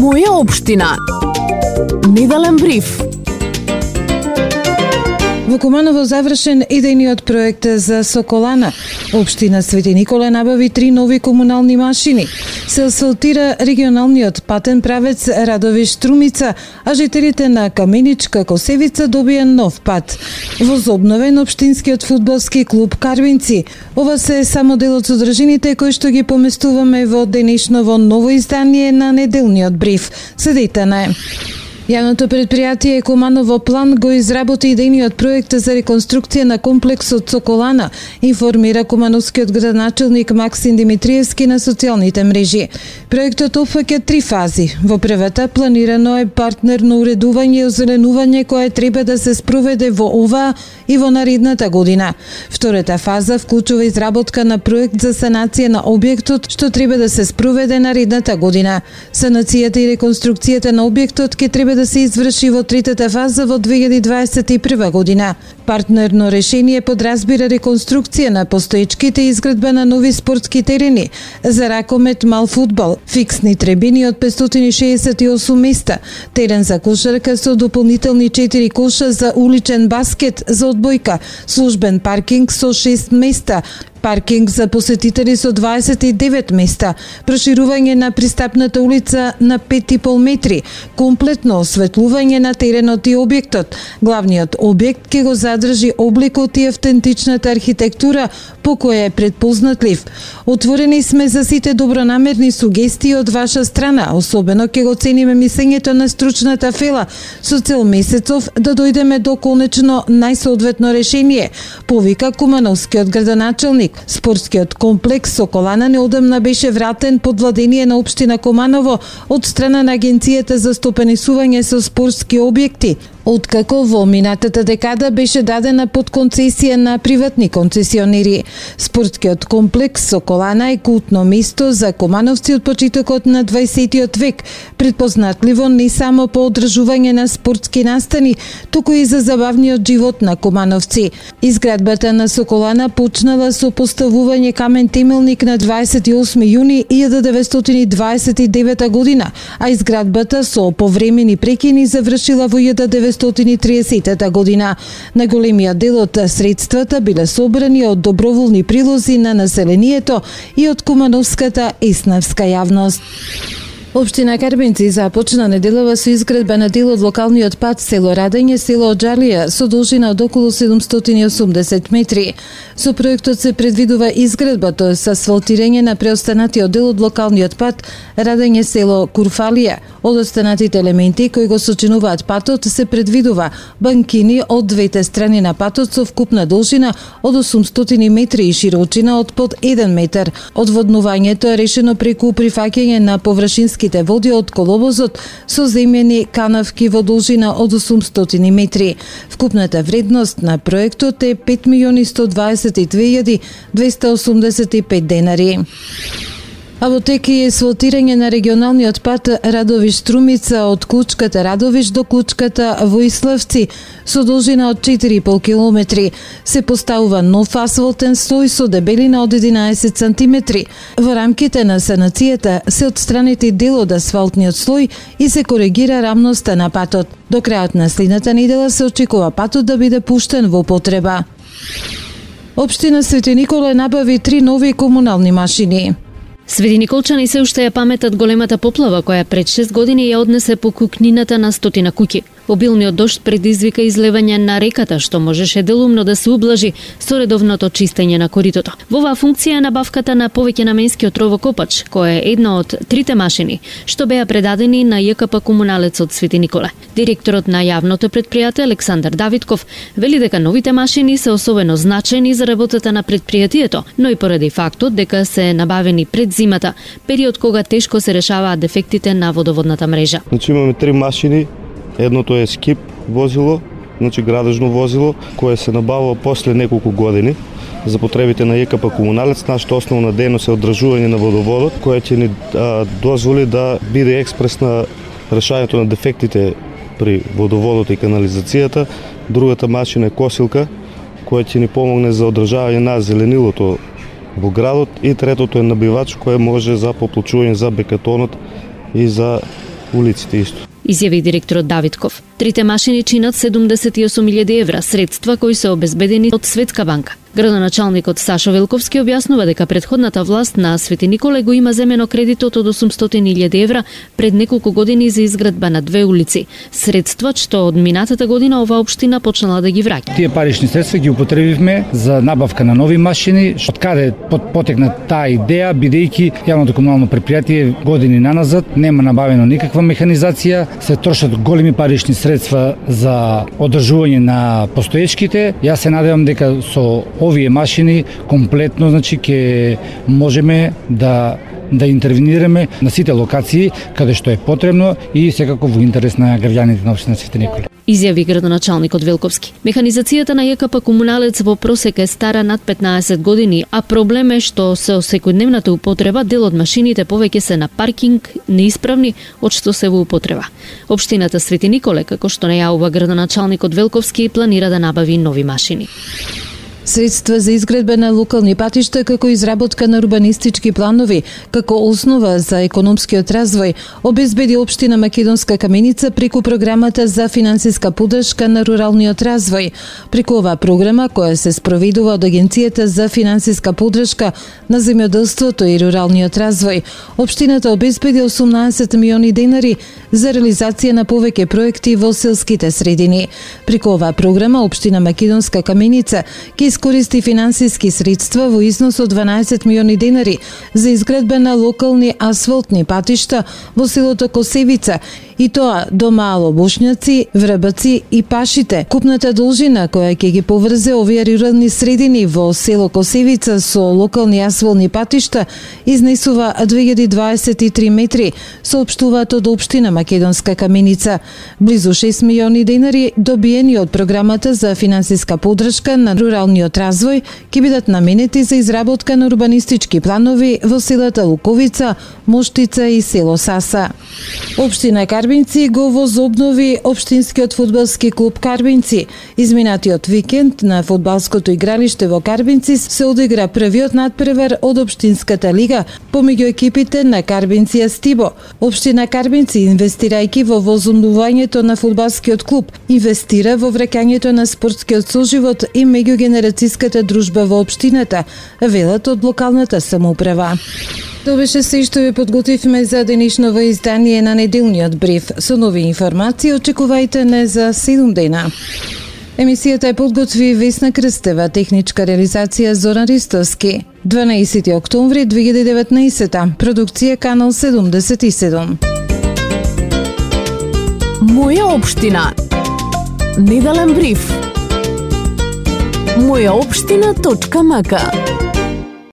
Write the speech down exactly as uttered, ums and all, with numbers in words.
Моја општина. Неделен бриф. Во Куманово завршен идејниот проект за Соколана. Општина Свети Николе набави три нови комунални машини. Се асфалтира регионалниот патен правец Радовиш-Струмица, а жителите на Каменичка-Косевица добија нов пат. Возобновен општинскиот фудбалски клуб Карвинци. Ова се само дел од содржините кои што ги поместуваме во денешново ново издание на неделниот бриф. Следете на Јавното предпријатие Куманово план го изработи идејниот проект за реконструкција на комплексот Соколана, информира кумановскиот градоначелник Максим Димитриевски на социјалните мрежи. Проектот опфаќа три фази. Во првата планирано е партнерно уредување и озеленување кое треба да се спроведе во оваа и во наредната година. Втората фаза вклучува изработка на проект за санација на објектот што треба да се спроведе наредната година. Санацијата и реконструкцијата на објектот ќе треба да се изврши во третата фаза во две илјади дваесет и прва година. Партнерно решение подразбира реконструкција на постоечките и изградба на нови спортски терени за ракомет, мал фудбал, фиксни трибини од петстотини и шеесет и осум места, терен за кошарка со дополнителни четири коша за уличен баскет за одбојка, службен паркинг со шест места, паркинг за посетители со дваесет и девет места, проширување на пристапната улица на пет и пол метри, комплетно осветлување на теренот и објектот. Главниот објект ќе го задржи обликот и автентичната архитектура по која е предпознатлив. Отворени сме за сите добронамерни сугестии од ваша страна, особено ќе го цениме мислењето на стручната фела со цел месецов да дојдеме до конечно најсоодветно решение, повика кумановскиот градоначелник. Спортскиот комплекс Соколана неодамна беше вратен под владение на општина Куманово од страна на Агенцијата за стопанисување со спортски објекти, откако во минатата декада беше дадена под концесија на приватни концесионери. Спортскиот комплекс Соколана е култно место за кумановци од почетокот на дваесеттиот век, предпознатливо не само по одржување на спортски настани, туку и за забавниот живот на кумановци. Изградбата на Соколана почнала со поставување камен темелник на дваесет и осми јуни илјада деветстотини дваесет и девета година, а изградбата со повремени прекини завршила во илјада деветстотини и триесета година. На големиот дел од средствата биле собрани од доброволни прилози на населението и од кумановската еснавска јавност. Општина Карбинци започна неделава со изградба на дел од локалниот пат село Радење, село Оџалија со должина од околу седумстотини и осумдесет метри. Со проектот се предвидува изградба, тоа е асфалтирање на преостанатиот дел од локалниот пат Радење село Курфалија. Од останатите елементи кои го сочинуваат патот се предвидува банкини од двете страни на патот со вкупна должина од осумстотини метри и широчина од под еден метар. Одводнувањето е решено преку прифаќање на површински води од коловозот со земјени канавки во должина од осумстотини метри. Вкупната вредност на проектот е пет милиони сто дваесет и две илјади двеста осумдесет и пет денари. А во тек е асфалтирање на регионалниот пат Радовиш-Струмица од клучката Радовиш до клучката Воиславци со должина од четири и пол километри. Се поставува нов асфалтен слој со дебелина од единаесет сантиметри. Во рамките на санацијата се отстранети дел од асфалтниот слој и се коригира рамноста на патот. До крајот на следната недела се очекува патот да биде пуштен во употреба. Општина Свети Николе набави три нови комунални машини. Свети Николчани се уште ја паметат големата поплава која пред шест години ја однесе по кукнината на стотина куќи. Обилниот дожд предизвика излевање на реката, што можеше делумно да се ублажи со редовното чистење на коритото. Во оваа функција е набавката на повеќенаменскиот ровокопач, кој е една од трите машини што беа предадени на Ја К П комуналецот Свети Николе. Директорот на јавното предпријатие Александар Давидков вели дека новите машини се особено значајни за работата на предпријатието, но и поради фактот дека се набавени пред зимата, период кога тешко се решаваат дефектите на водоводната мрежа. Значи имаме три машини. Едното е скип возило, значи градежно возило, кое се набавува после неколку години за потребите на Ја К П комуналец. Нашата основна дејност е одржување на водоводот, која ќе ни а, дозволи да биде експресно решањето на дефектите при водоводот и канализацијата. Другата машина е косилка, која ќе ни помогне за одржавање на зеленилото во градот, и третото е набивач кој може за поплочување за бекатонот и за улиците исто. Изјави директорот Давидков. Трите машини чинат седумдесет и осум илјади евра, средства кои се обезбедени од Светска банка. Градоначалникот Сашо Велковски објаснува дека претходната власт на Свети Николе го има земено кредитот од осумстотини илјади евра пред неколку години за изградба на две улици. Средства што од минатата година оваа општина почнала да ги враќа. Тие парични средства ги употребивме за набавка на нови машини, од каде потекна таа идеја, бидејќи јавното комунално предпријатие години наназад нема набавено никаква механизација, се трошат големи парични средства за одржување на постоечките. Јас се надевам дека со овие машини комплетно, значи, ќе можеме да да интервенираме на сите локации каде што е потребно и секако во интерес на граѓаните на општина Свети Николе. Изјави градоначалникот Велковски. Механизацијата на ЈКП Комуналец во просек е стара над петнаесет години, а проблем е што со секојдневната употреба дел од машините повеќе се на паркинг, неисправни, од што се во употреба. Општината Свети Николе, како што најавува градоначалникот Велковски, планира да набави нови машини. Средства за изградба на локални патишта како изработка на урбанистички планови, како основа за економскиот развој, обезбеди општина Македонска Каменица преку програмата за финансиска поддршка на руралниот развој. Преку оваа програма, која се спроведува од Агенцијата за финансиска поддршка на земјоделството и руралниот развој, општината обезбеди осумнаесет милиони денари за реализација на повеќе проекти во селските средини. Преку оваа програма, општина Македонска Каменица ќе искористи финансиски средства во износ од дванаесет милиони денари за изградба на локални асфалтни патишта во селото Косевица, и тоа до Мало Бошњаци, Врбаци и Пашите. Купната должина која ќе ги поврзе овие рурални средини во село Косевица со локални асфалтни патишта изнесува две илјади дваесет и три метри, соопштуваат од општина Македонска Каменица. Близу шест милиони денари добиени од програмата за финансиска поддршка на руралниот развој ќе бидат наменети за изработка на урбанистички планови во селата Луковица, Моштица и село Саса. Општина Карбинци го возобнови општинскиот фудбалски клуб Карбинци. Изминатиот викенд на фудбалското игралиште во Карбинци се одигра првиот надпревар од општинската лига помеѓу екипите на Карбинци и Стибо. Општина Карбинци, инвестирајќи во возобновувањето на фудбалскиот клуб, инвестира во враќањето на спортскиот соживот и меѓугенерацијската дружба во општината, велат од локалната самоуправа. Тоа беше се што ви подготвивме за денешново издание на неделниот бриф. Со нови информации очекувајте не за седум дена. Емисијата е подготви Весна Крстева, техничка реализација Зоран Ристовски. дванаесети октомври две илјади и деветнаесета, продукција Канал седумдесет и седум. Моја општина. Неделен бриф. моја општина точка м к